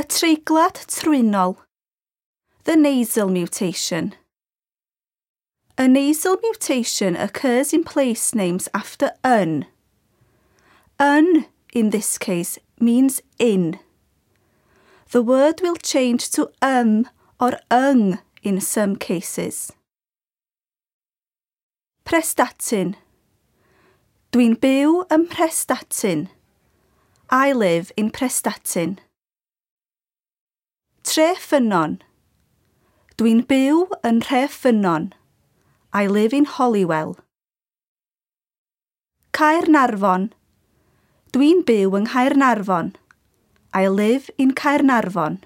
Y treiglad trwynol. The nasal mutation. A nasal mutation occurs in place names after yn. Yn, in this case, means in. The word will change to or yng in some cases. Prestatyn. Dwi'n byw ym Mhrestatyn. I live in Prestatyn. Treffynnon. Dwi'n byw yn Nhreffynnon. I live in Holywell. Caernarfon. Dwi'n byw yng Nghaernarfon. I live in Caernarfon.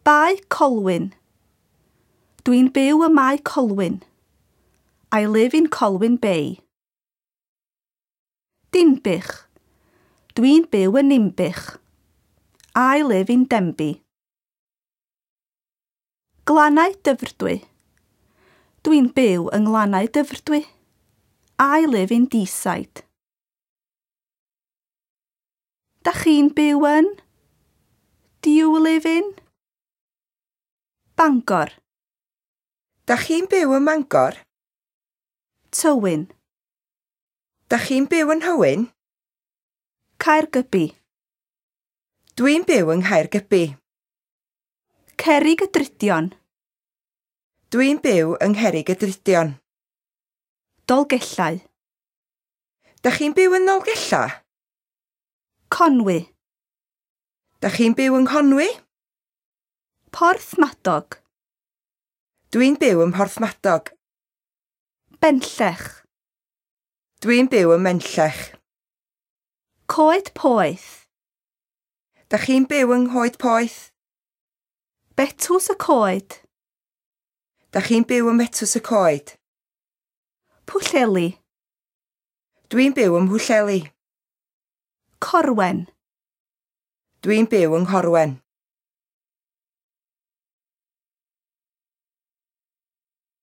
Bae Colwyn. Dwi'n byw ym Mae Colwyn. I live in Colwyn Bay. Dinbych. Dwi'n byw yn Ninbych. I live in Denbigh. Glannau Dyfrdwy. Dwi'n byw yng Nglannau Dyfrdwy. I live in Deeside. Da chi'n byw yn? Do you live in? Bangor. Da chi'n byw ym Mangor? Tywyn. Da chi'n byw yn Nhywyn? Caergybi. Dwi'n byw yng Nghaergybi. Cerrig y Drudion. Dwi'n byw yng Ngherrig y Drudion. Dolgellau. Da chi'n byw yn Nolgellau? Conwy. Da chi'n byw yng Nghonwy? Porthmadog. Dwi'n byw ym Mhorthmadog. Benllech. Dwi'n byw ym Menllech. Coed Poeth. Da chi'n byw yng Nghoed Poeth? Betws y Coed. Da chi'n byw ym Metws y Coed? Pwllheli. Dwi'n byw ym Mhwllheli. Corwen. Dwi'n byw yng Nghorwen.